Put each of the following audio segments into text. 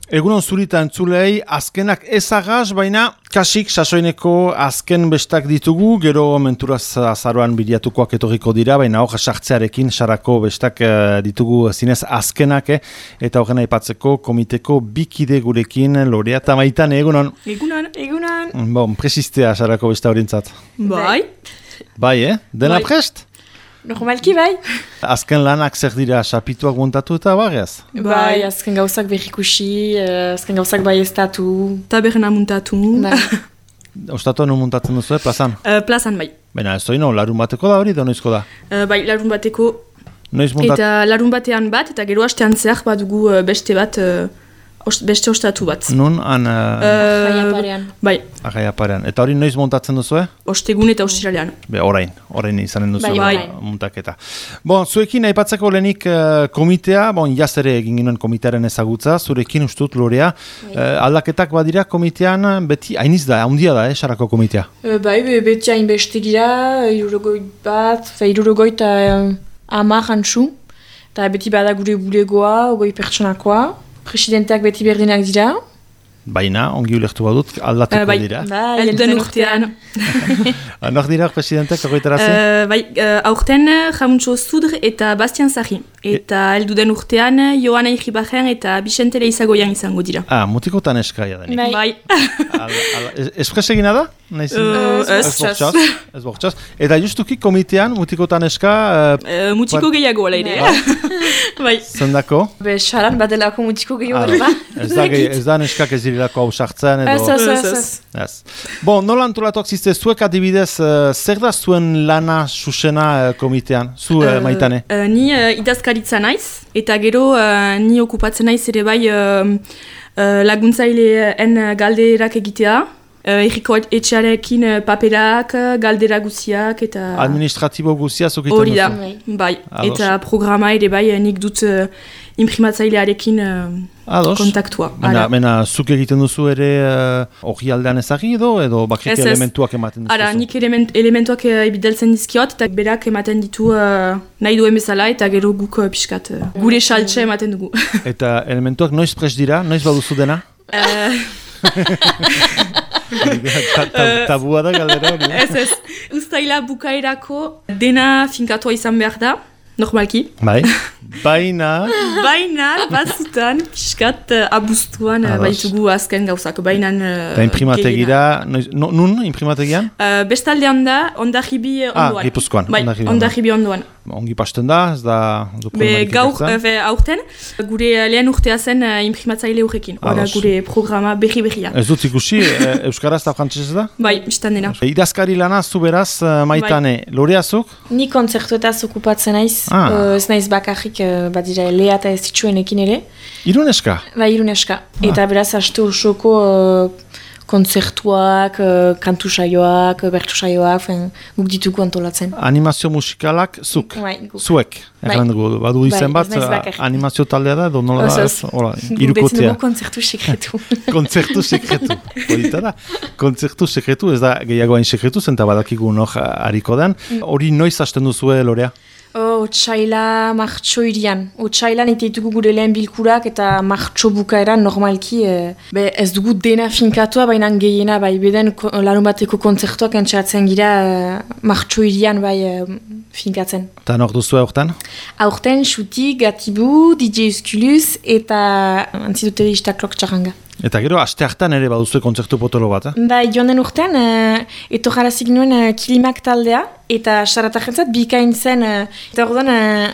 Egunon zurita entzulei, azkenak ezagaz, baina kasik sasoineko azken bestak ditugu, gero menturaz azaroan biliatukoak etorriko dira, baina hor sartzearekin sarako bestak ditugu zinez azkenak, eta horren aipatzeko komiteko bikide gurekin Lorea eta Maitane, egunon? Egunon. Bon, presistea sarako besta horintzat. Bai. Bai, Dena prest? Normalki bai. Azken lanak zer dira, sapituak montatu eta barriaz? Bai, azken gauzak berrikusi, azken gauzak bai estatu. Taberna montatu. Bai. Ostatua non montatzen duzu, plazan? Plazan bai. Baina ez doino, larun bateko da hori, da noizko da? Bai, larun bateko. Noiz montat... Eta larun batean bat, eta gero hastean zer bat dugu beste bat, beste ostatu bat. Nun, Arraiaparean. Bai. Arraiaparean. Eta hori noiz montatzen duzu, Ostegun eta ostiralean. Orain izanen duzu bai. Montaketa. Bon, zuekin aipatzeko lehenik komitea, jaz ere egin ginen komitearen ezagutza, zurekin ustut Lorea, aldaketak badira komitean, beti hainiz da, handia da, sarako komitea? Bai, beti hain beste gira, 50 antzu, eta beti bada gure bulegoa, 20 pertsonakoa. Presidenteak beti berdinak dira. Baina, ongi ulertu badut, aldatuko dira. Bai, elden urtean. Nok dira presidenteak horretarazi? Bai, aurten Jamuntxo Zudr eta Bastian Zahi. Eta elduden urtean Joana Iribarren eta Bixente Leizagoian izango dira. Mutikotan eskaia da nik. Bai. Espresegina da? Ez bortxaz. Eta justuki komitean mutikotan eska... Mutiko gehiago ala ere. Bai. Zendako? Saran badelako mutiko gehiago ala. Ez da neskak ez dirilako hau sartzen edo... Ez. Bon, nola antolatuak zizte, zuek adibidez, zer da zuen lana susena komitean? Zu, Maitane? Ni idazkaritza naiz, eta gero ni okupatzen naiz ere bai laguntzaileen galderak egitea. Erriko etxearekin paperak, galdera guziak eta... Administratibo guzia zuk iten duzu? Hori da, bai. Eta programa ere bai nik dut imprimatzailearekin kontaktua. Mena zuk egiten duzu ere hori aldean ezagri edo bakrik elementuak ematen duzu? Ara, nik elementuak ebideltzen dizkiot eta berak ematen ditu nahi duen bezala eta gero guk pixkat gure saltxe ematen dugu. Eta elementuak noiz prest dira? Noiz baduzu dena? Tabua da galdera hori? Ez. Uztaila bukaerako dena finkatua izan behar da, normalki. Bai. Baina, batzutan, piskat abuztuan baitugu azken gauzak. Eta imprimategira, nun imprimategian? Bestaldean da, Ondarribi ondoan. Gipuzkoan. Bai, Ondarribi ondoan. Ongi pasten da, ez da... Gaur, aurten, gure lehen urtea zen imprimatzaile horrekin. Hora gure programa berri-berria. Ez dut ikusi, Euskaraz eta Frantsesez da? Bai, biztan dena. Idazkari lana, zu beraz, Maitane, Loreazuk? Ni kontzertuetaz okupatzen naiz, ez naiz bakarrik badira lea eta ez ditxuenekin ere. Iruneska? Bai, Iruneska. Eta beraz, aste osoko kontzertuak, kantu saioak, bertu saioak, guk ditugu antolatzen. Animazio musikalak zuk? Bai, guk. Zuek? Badu izen bat, animazio taldea da, edo nola da? Irukotea. Dugu kontzertu sekretu. Kontzertu sekretu. Horita da. Kontzertu sekretu, ez da gehiago hain sekretu, zenta badakigu nor hariko den. Hori noiz hasten duzue, Lorea? Otsaila martxo irian. Otsailan iteitugu gure lehen bilkurak eta martxo bukaeran normalki ez dugu dena finkatua, baina gehiena bai beden larun bateko kontzertuak entxatzen gira martxo irian bai finkatzen. Eta nor duzu aurten? Aurten Xuti, Gatibu, DJ Esculus eta antzidotelista Klok Txaranga. Eta gero, aste hartan ere baduzue kontzertu potolo bat, Bai, joan den urtean, etorrazik nuen Kilimak taldea, eta saratajentzat bikain zen, eta orduan,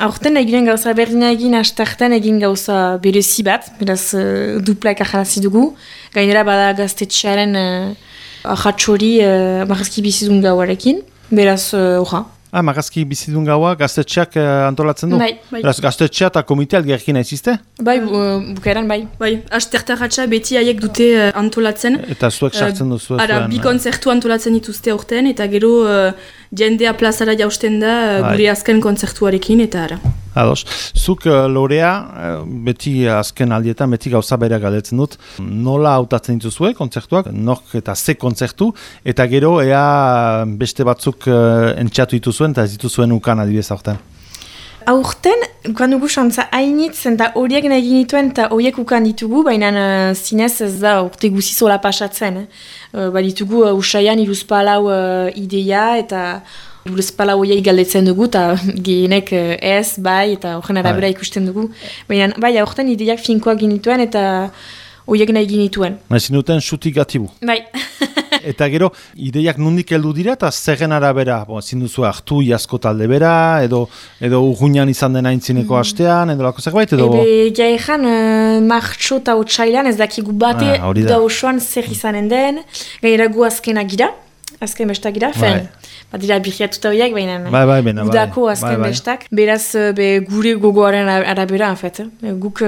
aurten eginen gauza berdina egin, aste hartan egin gauza berezi bat, beraz duplaik ajarazi dugu, gainera bada gaztetxearen ahatxori marrazki bizidun gauarekin, beraz, orra. Magazki bizidun gaua gaztetxeak antolatzen du? Bai. Beraz, gaztetxea eta komitea algerkin aizizte? Bai, bukaeran bai. Bai, astertarratxa beti haiek dute antolatzen. Eta zuek sartzen duzu? Bi kontzertu antolatzen dituzte aurten, eta gero jendea plazara jausten da gure azken kontzertuarekin, eta ara. Ados. Zuk, Lorea, beti azken aldietan, beti gauza bera galdetzen dut, nola hautatzen dituzue kontzertuak, nork eta ze kontzertu, eta gero ea beste batzuk entxatu dituzuen, eta ez dituzuen ukan adibidez aurten. Aurten, guan dugu xantza hainitzen eta horiek nahi ginituen eta horiek ukan ditugu, baina zinez ez da urte guzizola pasatzen. Baditugu usaian iruzpalau ideia eta iruzpalau horiek galdetzen dugu eta gehienek ez, bai, eta horren arabera ikusten dugu. Baina bai, aurten ideiak finkoak ginituen eta horiek nahi ginituen. Ezin duten sutik gatibu. Bai. Eta gero, ideiak nondik heldu dira eta zerren arabera, ezin duzu hartu jasko talde bera, edo urgunean izan den aintzineko astean, edo lako zerbait, edo... Ebe, jaean, martxo eta otxailan ez dakigu bate, da osoan zer izanen den, gainera gu azkenak gira, azken bestak gira, dira birriatuta horiek, baina udako azken bestak. Beraz, gure gogoaren arabera, en fait. Guk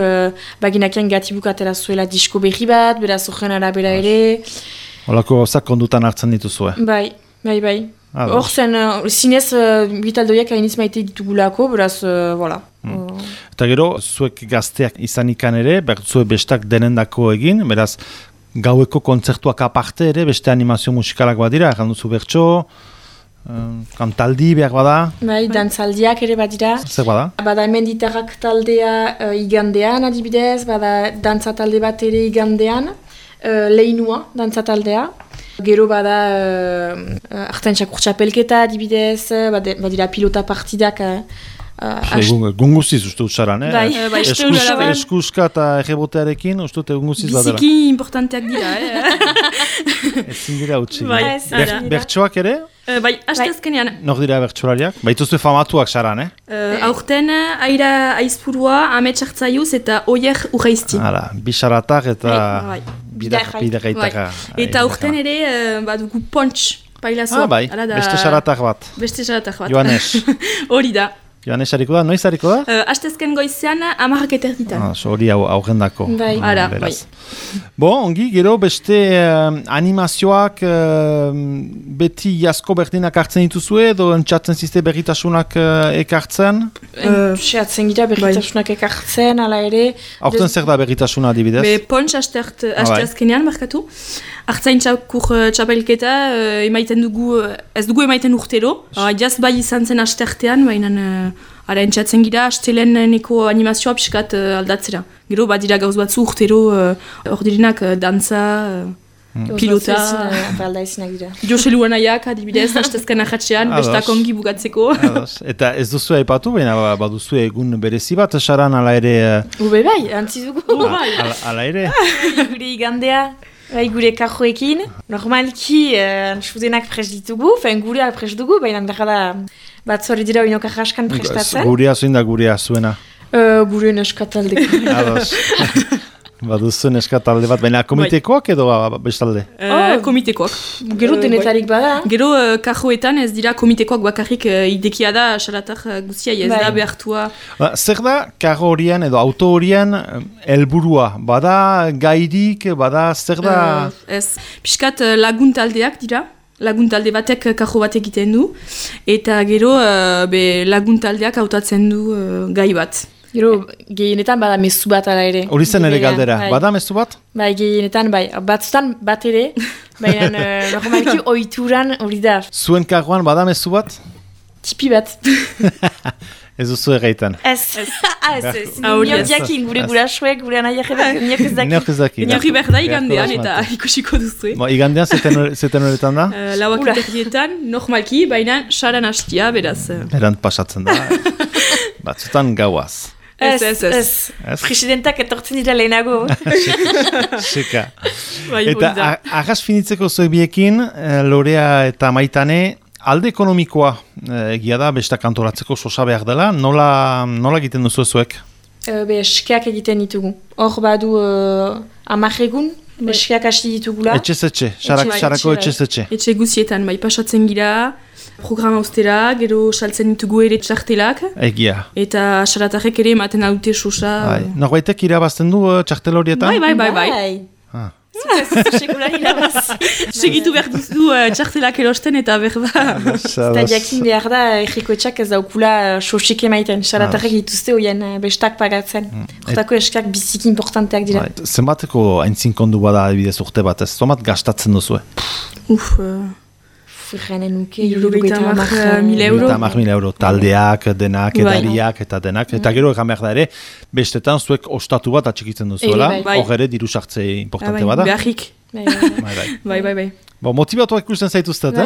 baginakean gatibuk atera zuela disko berri bat, beraz horren arabera ere... Olako gauzak kondutan hartzen dituzue. Bai. Hor zen, zinez bitaldoiak hainiz maite ditugulako, beraz, voilà. Eta gero, zuek gazteak izan ikan ere, zuek bestak denendako egin, beraz, gaueko kontzertuak aparte ere, beste animazio musikalak badira, erran duzu bertso, kantaldi behar bada. Bai, dantzaldiak ere badira. Zer bada? Bada hemen ditarrak taldea igandean adibidez, bada dantza talde bat ere igandean, leinua dantzataldea. Gero bada artentxak urtsapelketa adibidez, badira pilota partidak. Gunguziz uste utxaran, Eskuska eta errebotearekin uste gunguziz badela. Biziki importanteak dira, Ezin dira utxi. Bertsoak ere? Bai, astezkenean. Nor dira bertsolariak? Baituzue famatuak saran, Aurten, aira aizpurua, ametxartzaiuz eta oier urreizti. Hala, bisaratak eta bidagaitaka. Eta aurten ere, badugu pontx pailazo. Beste saratak bat. Joanes. Hori da. Joanes hariko da, noiz hariko da? Astezken goizean, 10:00 ditan. Hori aurrendako. Bai. Ongi, gero beste animazioak beti jasko berdinak hartzen dituzue, edo entzatzen zizte berritasunak ekartzen? Seatzen gira berritasunak ekartzen, ala ere. Aurten zer da berritasuna adibidez? Pontx astezkenean, markatu. Artzaintzakur txapelketa emaiten dugu, ez dugu emaiten urtero. Jaz bai izan zen astertean, baina ara entzatzen gira, asteleneko animazioa pixkat aldatzera. Gero badira gauz batzu urtero, ordirinak dantza, pilota. Joselu anaiak adibidez, astezken ahatzean, bestak ongi bugatzeko. Eta ez duzu aipatu, baina baduzu egun berezi bat, saran ala ere... Bai, antzi dugu. Ala ere? Gure igandea. Bai, gure kajoekin, normalki sudenak pres ditugu, gure pres dugu, baina behar da bat zori dira oinok ahaskan prestatzen. Gurea zuin da gurea zuena? Gure neskataldeko. Ados. Baduzu neskatalde bat, baina komitekoak edo bestalde? Komitekoak. Gero denetarik bada. Gero kajoetan ez dira komitekoak bakarrik idekia da, xaratak guztia ez da behartua. Zer da kajo horien edo auto horien helburua? Bada gairik, bada zer da? Ez, pixkat laguntaldeak dira. Laguntalde batek kajo bat egiten du. Eta gero laguntaldeak hautatzen du gai bat. Gero, gehienetan bada mezu bat ala ere. Hori zen ere galdera, bada mezu bat? Bai, gehienetan bai, batzutan bat ere, baina normalki ohituran hori da. Zuen kagoan bada mezu bat? Tipi bat. Ez duzu egaitan? Ez. Niok jakin gure gurasoek, gure anaiak niok ez daki. Niok berda igandean eta ikusiko duzu. Igandean zeten horretan da? Lauak eterrietan, normalki, baina saran hastia, beraz. Berant pasatzen da. Batzutan gauaz. Ez. Presidentak etortzen dira lehenago. Seka. Eta agaz finitzeko zoebiekin, Lorea eta Maitane, alde ekonomikoa egia da, besta kantoratzeko sosa behar dela, nola egiten duzu zuek? Eskeak egiten ditugu. Hor badu 10 egun, eskeak hasi ditugula. Etxe, sarako etxe. Etxe guzietan, bai pasatzen gira, programa ustera, gero saltzen ditugu ere txartelak. Egia. Eta xaratarrek ere ematen adute sosa. Norbaitek irabazten du txartel horietan? Bai. Segitu behar duzu txartelak erosten eta berba. Eta jakin behar da, errikoetxak ez daukula sosik emaiten. Xaratarrek dituzte hoien bestak pagatzen. Hortako eskak biziki importanteak dira. Zenbateko aintzin kondu bada adibidez urte batez? Zomat gastatzen duzue? Furganen nuke, 50.000 euro. Taldeak, denak, edariak eta denak. Eta gero egan behar da ere, bestetan zuek ostatu bat atxikitzen duzuela. Hor ere diru sartze importante bada. Beharrik. Bai. Motibatuak ikusten zaituztet,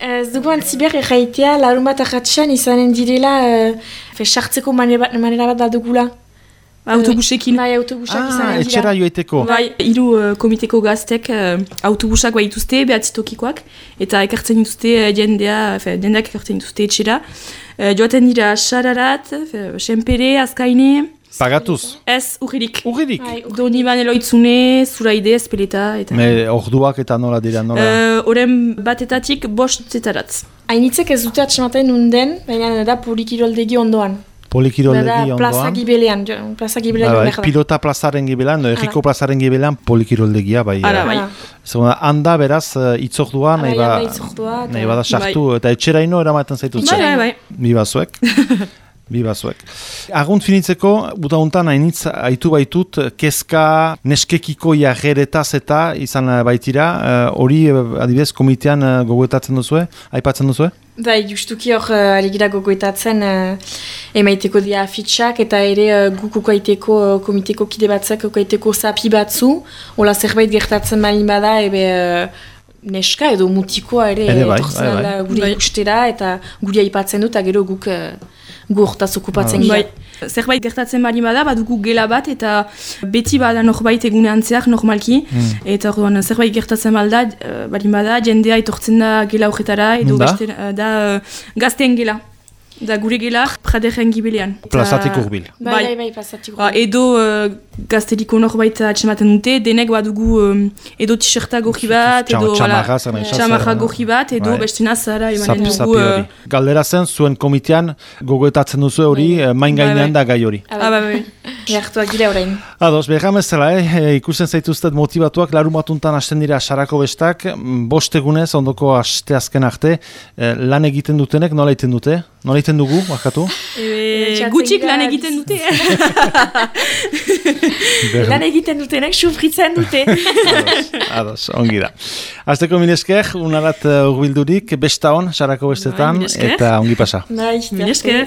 Ez dugu antziber erraitea, larun bat ahatxan izanen direla, sartzeko manera bat dugula. Autobusekin. Bai, autobusak izanen dira. Etxera joeteko. Bai, 3 komiteko gaztek autobusak bai dituzte, behatzitokikoak, eta ekartzen dituzte jendeak ekartzen dituzte etxera. Joaten dira Sararat, Senpere, Azkaine. Pagatuz? Ez, urririk. Urririk? Doni baneloitzune, Zuraide, Espeleta. Orduak eta nola dira, nola? Oren batetatik 5 zetaratz. Hainitzek ez dute atxematen nunden, baina da Polikiroldegi ondoan. Polikiroldegi ondoan? Plaza Gibelean behar da. Pilota plazaren gibelean, Erriko plazaren gibelean Polikiroldegia, bai. Handa beraz, itzordua, nahi bada sartu, eta etxeraino eramaten zaitut. Bai. Bibazuek. Agunt finitzeko, butauntan hainitz aitu baitut, kezka neskekiko jarreretaz eta izan baitira, hori adibidez komitean gogoetatzen duzue, aipatzen duzue? Bai, justuki hor aligira gogoetatzen emaiteko dia afitxak eta ere guk ukaiteko komiteko kide batzak ukaiteko zapi batzu, hola zerbait gertatzen balin bada, neska edo mutikoa ere etortzen gure ikustera eta gure aipatzen dut, eta gero guk hortaz okupatzen gira. Zerbait gertatzen bali bada, badugu gela bat, eta beti bada norbait egunean zehar normalki, eta orduan zerbait gertatzen bali bada, jendea etortzen da gela horretara, edo da gazten gela. Da gure gela, Praderen gibelean. Plazatik urbil. Bai, plazatik urbil. Edo gazteliko norbait atxematen dute, denek badugu edo t-shirta gorri bat, edo txamarra gorri bat, edo bestena zara emanen dugu. Galdera zen, zuen komitean gogoetatzen duzu hori, main gainean da gai hori. Bai. Gertuak gira orain. Ados, behamezela, ikusten zaituztet motivatuak, larun batuntan hasten dira sarako bestak, 5 egunez, ondoko aste azken arte, lan egiten dutenek, nola egiten dute? Nola egiten dugu, bakatu? Gutxik lan egiten dute. Lan egiten dutenek, sufritzen dute. Ados, ongi da. Azteko minesker, unarat urbildurik, besta hon, sarako bestetan, eta ongi pasa. Minesker.